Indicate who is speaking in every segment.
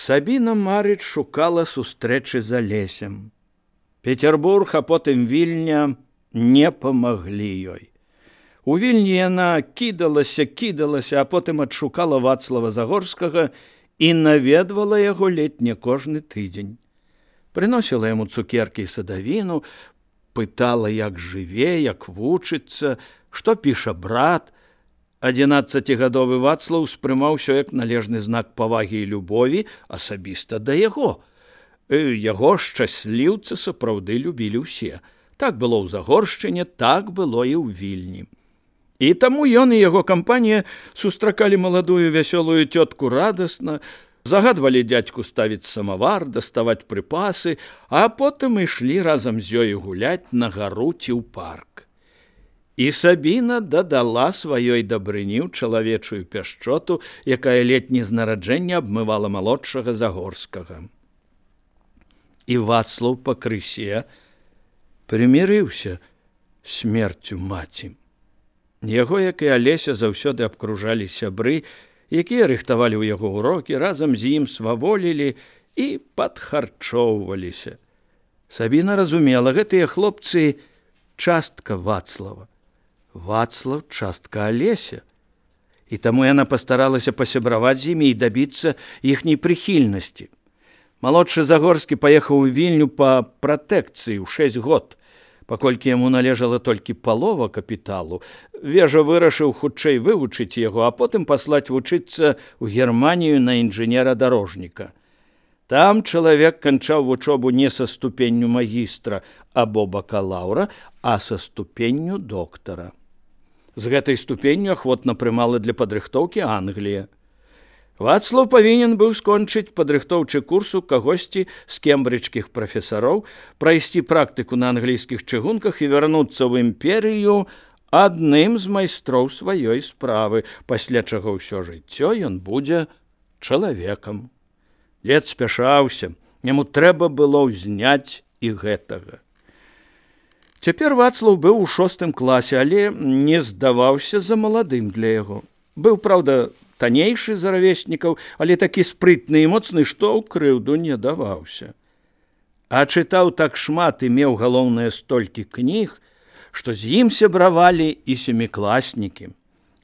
Speaker 1: Сабіна Марыч шукала сустрэчы з Алесем. Петербург, а потым Вільня не памаглі ёй. У Вільні яна кідалася, а потым адшукала Вацлава Загорскага і наведвала яго ледзь не кожны тыдзень. Прыносіла яму цукеркі і садавіну, пытала, як жыве, як вучыцца, што піша брат. 11гадовы Вацлаў успрымаў усё як належны знак павагі і любові асабіста да яго. Яго шчасліўцы сапраўды любілі ўсе. Так было ў Загоршчыне, так было і ў Вільні. І таму ён і яго кампанія сустракалі маладую вясёлую цётку радасна, загадвалі дзядзьку ставіць самавар, даставаць прыпасы, а потым ішлі разам з ёй гуляць на гару ці ў парк. І Сабіна дадала сваёй дабрыні ў чалавечую пяшчоту, якая летні з нараджэння абмывала малодшага Загорскага. І Вацлаў пакрысе прымірыўся смерцю маці. Яго, як і Алеся, заўсёды абкружалі сябры, якія рыхтавалі ў яго ўрокі, разам з ім сваволілі і падхарчоўваліся. Сабіна разумела, гэтыя хлопцы частка Вацлава. Вацлаў частка Алеся. І таму яна пастаралася пасябраваць з імі і дабіцца іхняй прыхільнасці. Малодшы Загорскі паехаў у Вільню па пратэкцыі ў 6 год. Паколькі яму належала толькі палова капіталу, Вежа вырашыў хутчэй вывучыць яго, а потым паслаць вучыцца ў Германію на інжынера-дарожніка. Там чалавек канчаў вучобу не са ступенню магістра або бакалаўра, а са ступенню доктара. З гэтай ступенню ахвотна прымала для падрыхтоўкі Англія. Вацлаў павінен быў скончыць падрыхтоўчы курс у кагосьці з кембриджскіх прафесароў, прайсці практыку на англійскіх чыгунках і вярнуцца ў імперыю адным з майстроў сваёй справы, пасля чаго ўсё жыццё ён будзе чалавекам. Дзед спяшаўся, яму трэба было ўзняць і гэтага. Цяпер Вацлаў быў у 6 класе, але не здаваўся за маладым для яго. Быў, праўда, таннейшы за равеснікаў, але такі спрытны і моцны, што ў крыўду не даваўся. А чытаў так шмат і меў, галоўнае, столькі кніг, што з ім сябравалі і 7класнікі.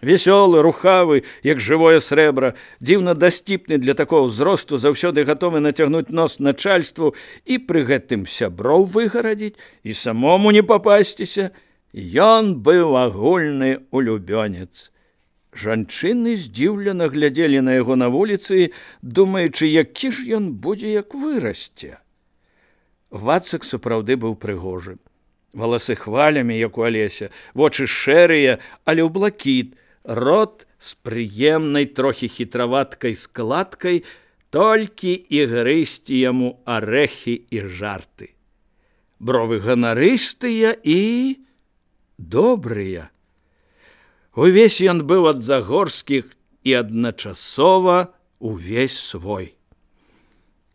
Speaker 1: Весёлы, рухавы, як жывое срэбра, дзіўна дасціпны для такого ўзросту, заўсёды гатовы нацягнуць нос начальству і пры гэтым сяброў выгарадзіць і самому не папасціся, ён быў агульны улюбёнец. Жанчыны здзіўлена глядзелі на яго на вуліцы, думаючы, які ж ён будзе, як вырасце. Вацак сапраўды быў прыгожы. Валасы хвалямі, як у Алеся, вочы шэрыя, але ў блакіт, рот з прыемнай, трохі хітраваткай складкай, толькі і грызці яму арэхі і жарты. Бровы ганарыстыя і добрыя. Увесь ён быў ад Загорскіх і адначасова увесь свой.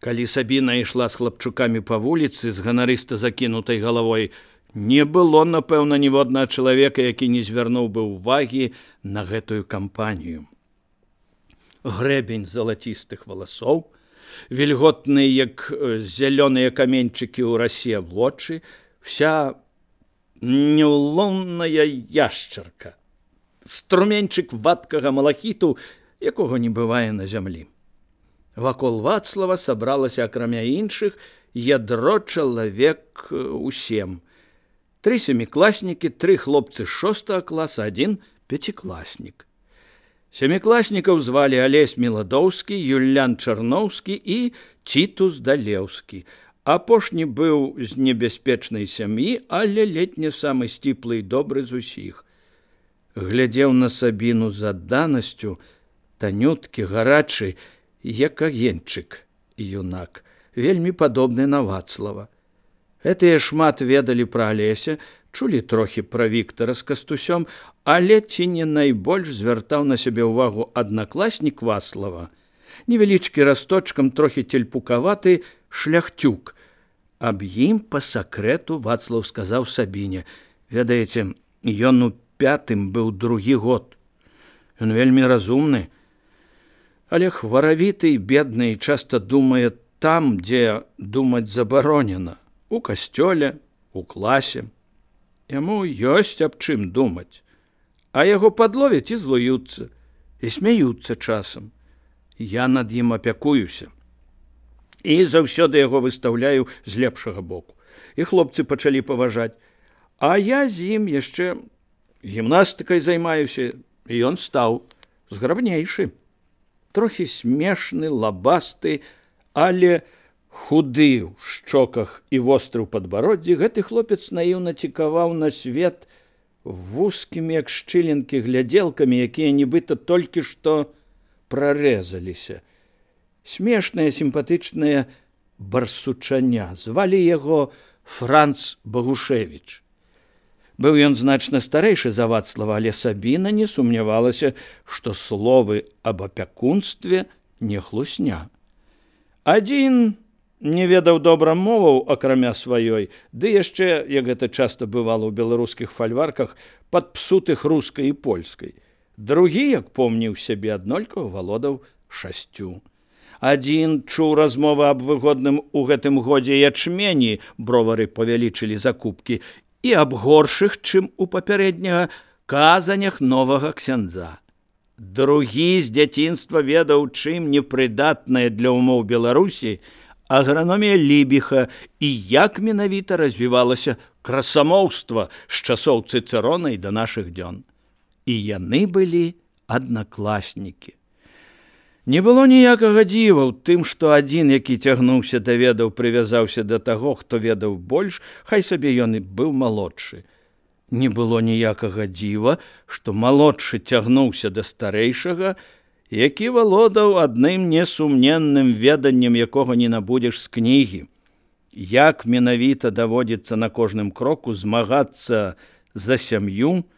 Speaker 1: Калі Сабіна ішла з хлапчукамі па вуліцы з ганарыста закінутай галавой, не было, напэўна, ніводнага чалавека, які не звярнуў бы ўвагі на гэтую кампанію. Грэбень залацістых валасоў, вільготныя, як зялёныя каменьчыкі ў расе вочы, вся няўломная яшчарка, струменьчык вадкага малахіту, якога не бывае на зямлі. Вакол Вацлава сабралася, акрамя іншых, ядро чалавек у 7. 3 7класнікі, 3 хлопцы з 6 класа, 1 5класнік. 7класнікаў звалі Алесь Міладоўскі, Юлян Чарноўскі і Цітус Далеўскі. Апошні быў з небяспечнай сям'і, але ледзь не самы сціплы і добры з усіх. Глядзеў на Сабіну з адданасцю, танюткі, гарачы, як агеньчык, юнак, вельмі падобны на Вацлава. Гэтыя шмат ведалі пра Алеся, чулі трохі пра Віктара з Кастусём, але ці не найбольш звяртаў на сябе ўвагу аднакласнік Вацлава, невялічкі расточкам, трохі тельпукаваты шляхцюк. Аб ім па сакрэту Вацлаў сказаў Сабіне: «Ведаеце, ён у 5 быў 2 год. Ён вельмі разумны. Але хваравіты і бедны часта думае там, дзе думаць забаронена, у касцёле, у класе. Яму ёсць аб чым думаць, а яго падловяць і злуюцца, і смяюцца часам. Я над ім апякуюся. І заўсёды яго выстаўляю з лепшага боку. І хлопцы пачалі паважаць. А я з ім яшчэ гімнастыкай займаюся, і ён стаў зграбнейшы. Трохі смешны, лабасты, але худы ў шчоках і востры ў падбароддзі, гэты хлопец наіўна цікаваў на свет вузкімі, як шчылінкі, глядзелкамі, якія нібыта толькі што прарэзаліся. Смешнае, сімпатычнае барсучаня. Звалі яго Франц Багушевіч. Быў ён значна старэйшы за Вацлава, але Сабіна не сумнявалася, што словы аб апякунстве не хлусня. Адзін не ведаў добра моваў, акрамя сваёй, ды яшчэ, як гэта часта бывала ў беларускіх фальварках, падпсутых рускай і польскай. Другі, як помніў сябе, аднолькава валодаў 6. Адзін чуў размовы аб выгодным у гэтым годзе ячмені, бровары павялічылі закупкі, і аб горшых, чым у папярэдняга, казанях новага ксяндза. Другі з дзяцінства ведаў, чым непрыдатная для ўмоў Беларусі аграномія Лібіха і як менавіта развівалася красамоўства з часоў Цыцэрона і да нашых дзён. І яны былі аднакласнікі. Не было ніякага дзіва ў тым, што адзін, які цягнуўся да ведаў, прывязаўся да таго, хто ведаў больш, хай сабе ён і быў малодшы. Не было ніякага дзіва, што малодшы цягнуўся да старэйшага, які валодаў адным несумненным веданнем, якога не набудзеш з кнігі. Як менавіта даводзіцца на кожным кроку змагацца за сям'ю,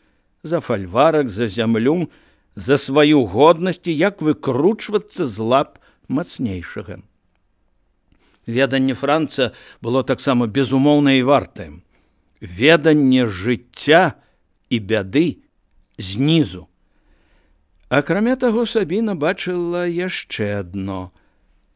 Speaker 1: за фальварак, за зямлю, за сваю годнасць і як выкручвацца з лап мацнейшага. Веданне Франца было таксама безумоўна і вартае. Веданне жыцця і бяды знізу. Акрамя таго, Сабіна бачыла яшчэ адно.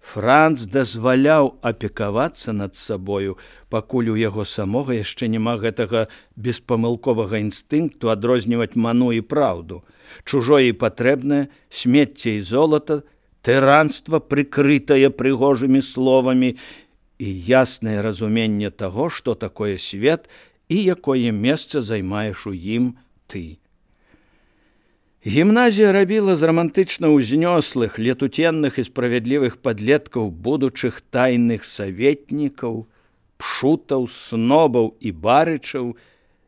Speaker 1: Франц дазваляў апекавацца над сабою, пакуль у яго самога яшчэ няма гэтага беспамылковага інстынкту адрозніваць ману і праўду, чужое і патрэбнае, смецце і золата, тыранства, прыкрытае прыгожымі словамі, і яснае разуменне таго, што такое свет і якое месца займаеш у ім ты. Гімназія рабіла з рамантычна ўзнёслых, летуценных і справядлівых падлеткаў будучых тайных саветнікаў, пшутаў, снобаў і барычаў,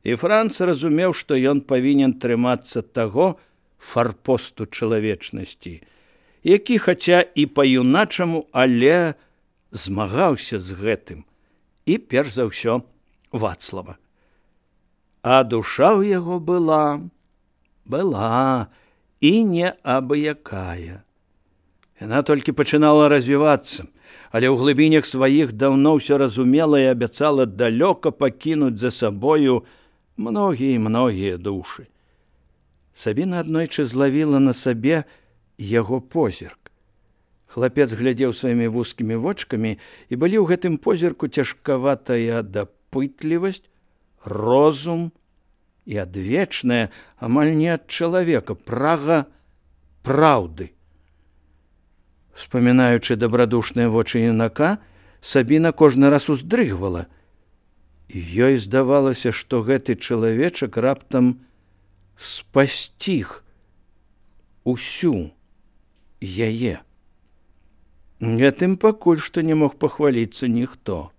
Speaker 1: і Франц разумеў, што ён павінен трымацца таго фарпосту чалавечнасці, які, хаця і па-юначаму, але змагаўся з гэтым, і перш за ўсё Вацлава. А душа ў яго была і не абыякая. Яна толькі пачынала развівацца, але ў глыбінях сваіх даўно ўсё разумела і абяцала далёка пакінуць за сабою многія душы. Сабіна аднойчы злавіла на сабе яго позірк. Хлапец глядзеў сваімі вузкімі вочкамі, і былі ў гэтым позірку цяжкаватая дапытлівасць, розум і адвечная, амаль не ад чалавека, прага праўды. Успамінаючы дабрадушныя вочы юнака, Сабіна кожны раз уздрыгвала. І ёй здавалася, што гэты чалавечак раптам спасціг усю яе. Гэтым пакуль што не мог пахваліцца ніхто.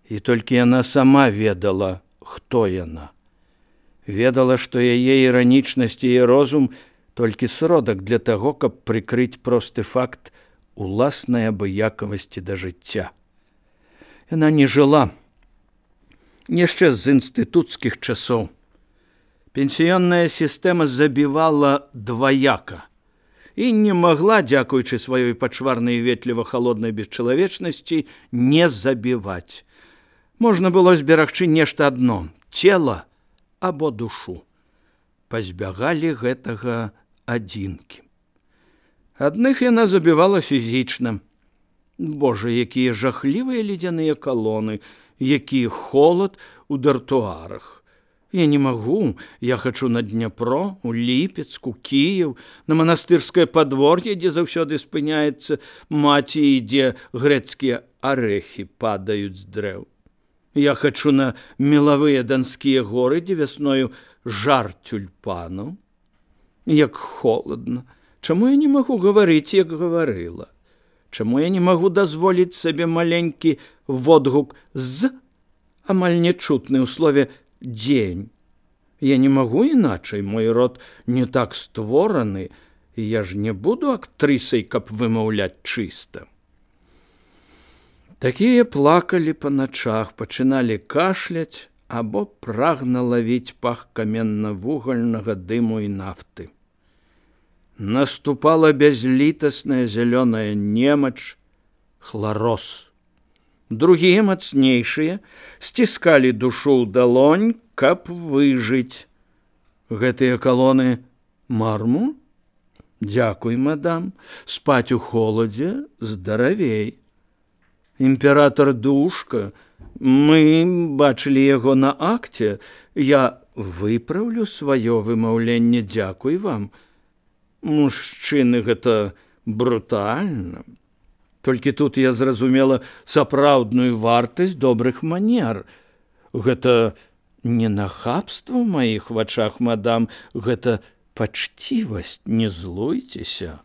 Speaker 1: І толькі яна сама ведала, хто яна. Ведала, што яе іранічнасць і розум толькі сродак для таго, каб прыкрыць просты факт уласнай абыякавасці да жыцця. Яна не жыла яшчэ з інстытуцкіх часоў. Пенсіённая сістэма забівала дваяка і не магла, дзякуючы сваёй пачварнай ветліва-халоднай бесчалавечнасці, не забіваць. Можна было зберагчы нешта адно – цела або душу. Пазбягалі гэтага адзінкі. Адных яна забівала фізічна. Божа, якія жахлівыя ледзяныя калоны, які холад у дартуарах. Я не магу, я хачу на Дняпро, у Ліпецк, у Кіеў, на манастырскае падвор'е, дзе заўсёды спыняецца маці і дзе грэцкія арэхі падаюць з дрэў. Я хачу на мелавыя данскія горы, дзе вясною жар тюльпанаў. Як холадна. Чаму я не магу гаварыць, як гаварыла? Чаму я не магу дазволіць сабе маленькі водгук з, амаль нечутны ў слове «дзень». Я не магу іначай, мой род не так створаны, і я ж не буду актрысай, каб вымаўляць чыста. Такія плакалі па начах, пачыналі кашляць або прагна лавіць пах каменна-вугальнага дыму і нафты. Наступала бязлітасная зялёная немач, хлароз. Другія, мацнейшыя, сціскалі душу ў далонь, каб выжыць. Гэтыя калоны марму? Дзякуй, мадам, спаць у холадзе здаравей. Імператор Душка, мы бачылі яго на акце, я выпраўлю сваё вымаўленне, дзякуй вам. Мужчыны, гэта брутальна. Толькі тут я зразумела сапраўдную вартасць добрых манер. Гэта не нахабства ў маіх вачах, мадам, гэта пачцівасць, не злуйцеся.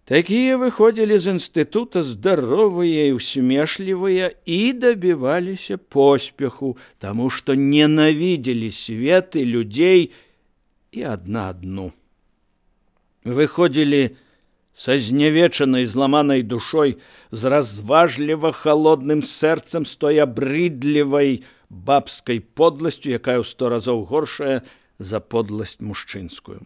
Speaker 1: Такія выходзілі з інстытута здаровыя і усмешлівыя і дабіваліся поспеху, таму што ненавідзелі свет і людзей і адну. Выходзілі са знявечанай, зламанай душой, з разважліва халодным сэрцам, з той абрыдлівай бабскай подласцю, якая ў 100 разоў горшая за подласць мужчынскую.